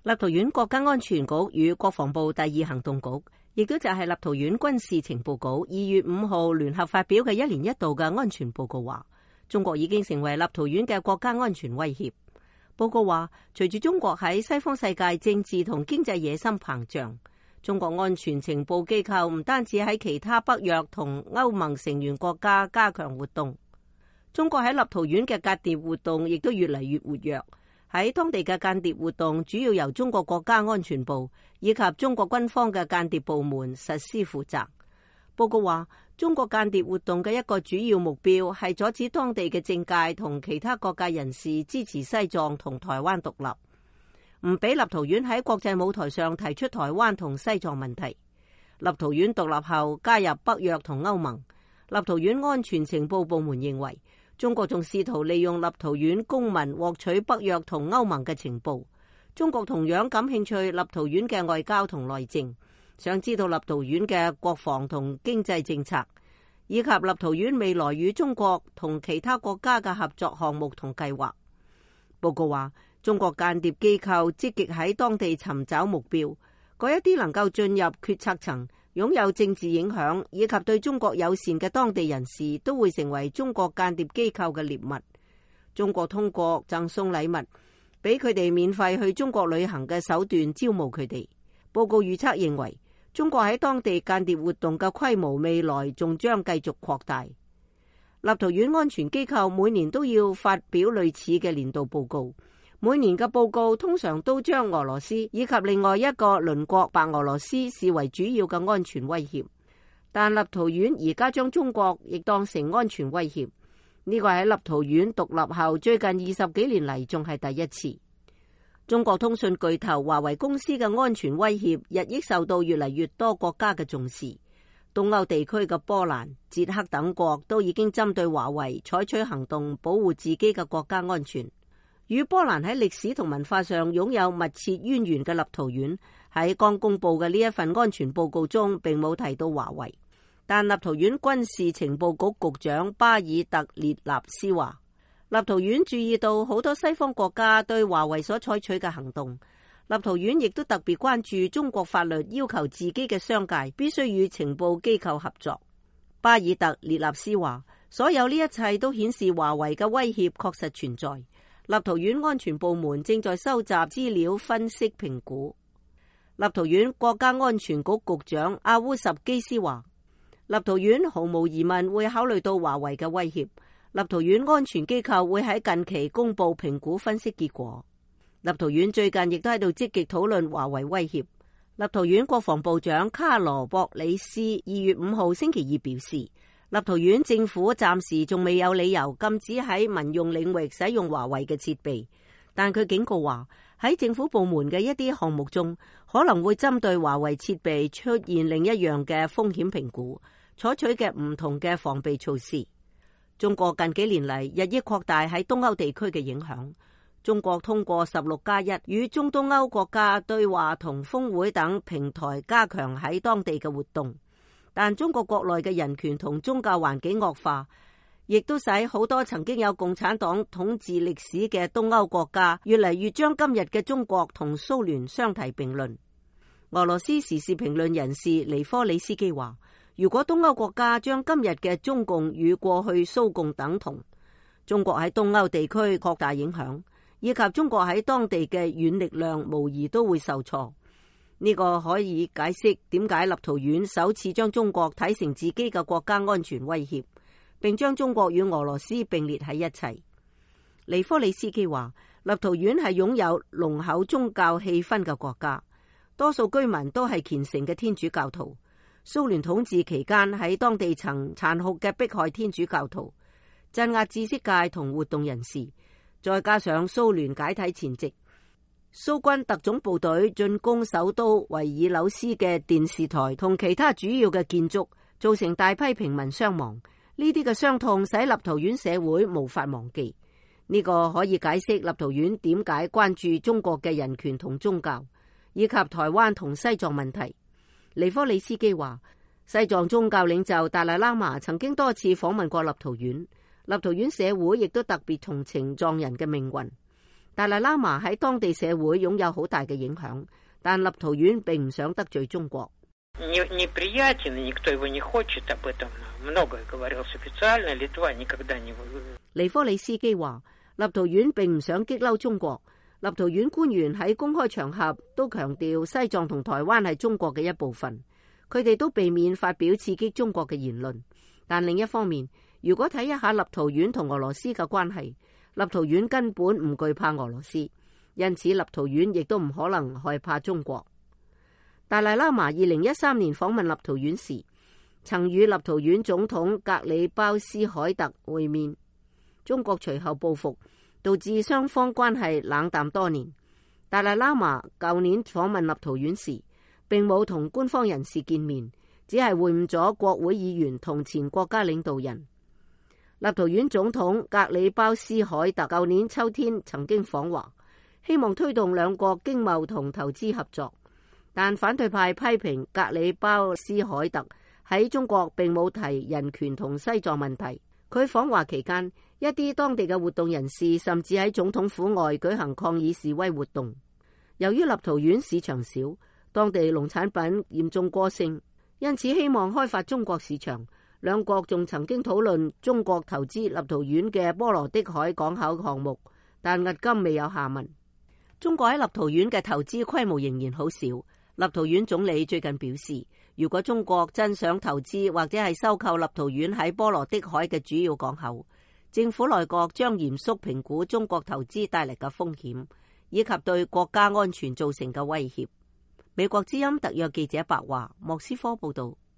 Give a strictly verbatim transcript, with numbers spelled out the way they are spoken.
立陶宛國家安全局與國防部第二行動局，亦都就係立陶宛軍事情報局二月五號聯合發表嘅一年一度嘅安全報告話，中國已經成為立陶宛嘅國家安全威脅。報告話，隨住中國喺西方世界政治同經濟野心膨脹，中國安全情報機構唔單止喺其他北約同歐盟成員國家加強活動，中國喺立陶宛嘅間諜活動亦都越嚟越活躍。喺當地嘅間諜活動主要由中國國家安全部以及中國軍方嘅間諜部門實施負責。報告話，中國間諜活動嘅一個主要目標係阻止當地嘅政界同其他各界人士支持西藏同台灣獨立，唔俾立陶宛喺國際舞台上提出台灣同西藏問題。立陶宛獨立後加入北約同歐盟，立陶宛安全情報部門認為，中國仲試圖利用立陶宛公民獲取北約同歐盟嘅情報。中國同樣感興趣立陶宛嘅外交同內政，想知道立陶宛嘅國防同經濟政策，以及立陶宛未來與中國同其他國家嘅合作項目同計劃。報告話，中國間諜機構積極喺當地尋找目標，嗰一啲能夠進入決策層、擁有政治影響以及對中國友善嘅當地人士都會成為中國間諜機構嘅獵物。中國通過贈送禮物俾佢哋免費去中國旅行嘅手段招募佢哋。報告預測認為，中國喺當地間諜活動嘅規模未來仲將繼續擴大。立陶宛安全機構每年都要發表類似嘅年度報告，每年嘅報告通常都將俄羅斯以及另外一個鄰國白俄羅斯視為主要嘅安全威脅，但立陶宛而家將中國亦當成安全威脅，呢個喺立陶宛獨立後最近二十幾年嚟仲係第一次。中國通訊巨頭華為公司嘅安全威脅日益受到越嚟越多國家嘅重視，東歐地區嘅波蘭、捷克等國都已經針對華為採取行動，保護自己嘅國家安全。與波蘭喺歷史同文化上擁有密切淵源嘅立陶宛，喺剛公布嘅呢一份安全報告中並冇提到華為，但立陶宛軍事情報局局長巴爾特列納斯話，立陶宛注意到好多西方國家對華為所採取嘅行動，立陶宛亦都特別關注中國法律要求自己嘅商界必須與情報機構合作。巴爾特列納斯話，所有呢一切都顯示華為嘅威脅確實存在。立陶宛安全部門正在收集資料、分析、評估。立陶宛國家安全局局長阿烏什基斯話，立陶宛毫無疑問會考慮到華為嘅威脅。立陶宛安全機構會喺近期公布評估分析結果。立陶宛最近亦都喺度積極討論華為威脅。立陶宛國防部長卡羅博里斯二月五號星期二表示，立陶宛政府暫時仲未有理由禁止喺民用領域使用華為嘅設備，但佢警告話，喺政府部門嘅一啲項目中，可能會針對華為設備出現另一樣嘅風險評估，採取嘅唔同嘅防備措施。中國近幾年嚟日益擴大喺東歐地區嘅影響。中國通過十六加一與中東歐國家對話同峰會等平台加強喺當地嘅活動。但中國國內嘅人權同宗教環境惡化，亦都使好多曾經有共產黨統治歷史嘅東歐國家越嚟越將今日嘅中國同蘇聯相提並論。俄羅斯時事評論人士尼科里斯基話，如果東歐國家將今日嘅中共與過去蘇共等同，中國喺東歐地區擴大影響，以及中國喺當地嘅軟力量無疑都會受挫。呢個可以解釋點解立陶宛首次將中國睇成自己嘅國家安全威脅，並將中國與俄羅斯並列喺一齊。尼科里斯基話，立陶宛係擁有濃厚宗教氣氛嘅國家，多數居民都係虔誠嘅天主教徒。蘇聯統治期間喺當地曾殘酷嘅迫害天主教徒，鎮壓知識界同活動人士，再加上蘇聯解體前夕，蘇軍特種部隊進攻首都維爾紐斯嘅電視台同其他主要嘅建築，造成大批平民傷亡。呢啲嘅傷痛使立陶宛社會無法忘記。呢個可以解釋立陶宛點解關注中國嘅人權同宗教，以及台灣同西藏問題。尼科里斯基話，西藏宗教領袖達賴喇嘛曾經多次訪問過立陶宛，立陶宛社會亦都特別同情藏人嘅命運。達賴喇嘛喺當地社會擁有好大嘅影響，但立陶宛並唔想得罪中國。尼科里斯基話，立陶宛並唔想激嬲中國。立陶宛官員喺公開場合都強調西藏同台灣係中國嘅一部分，佢哋都避免發表刺激中國嘅言論。但另一方面，如果睇一下立陶宛同俄羅斯嘅關係，立陶宛根本唔懼怕俄羅斯，因此立陶宛亦都唔可能害怕中國。達賴喇嘛二零一三年訪問立陶宛時，曾與立陶宛總統格里鮑斯凱特會面，中國隨後報復，導致雙方關係冷淡多年。達賴喇嘛舊年訪問立陶宛時，並冇同官方人士見面，只係會晤咗國會議員同前國家領導人。立陶宛總統格里鮑斯凱特舊年秋天曾經訪華，希望推動兩國經貿同投資合作，但反對派批評格里鮑斯凱特喺中國並冇提人權同西藏問題。佢訪華期間，一啲當地嘅活動人士甚至喺總統府外舉行抗議示威活動。由於立陶宛市場小，當地農產品嚴重過剩，因此希望開發中國市場。兩國仲曾經討論中國投資立陶宛嘅波羅的海港口項目，但至今未有下文。中國喺立陶宛嘅投資規模仍然好少。立陶宛總理最近表示，如果中國真想投資或者係收購立陶宛喺波羅的海嘅主要港口，政府內閣將嚴肅評估中國投資帶嚟嘅風險，以及對國家安全造成嘅威脅。美國之音特約記者白華，莫斯科報道。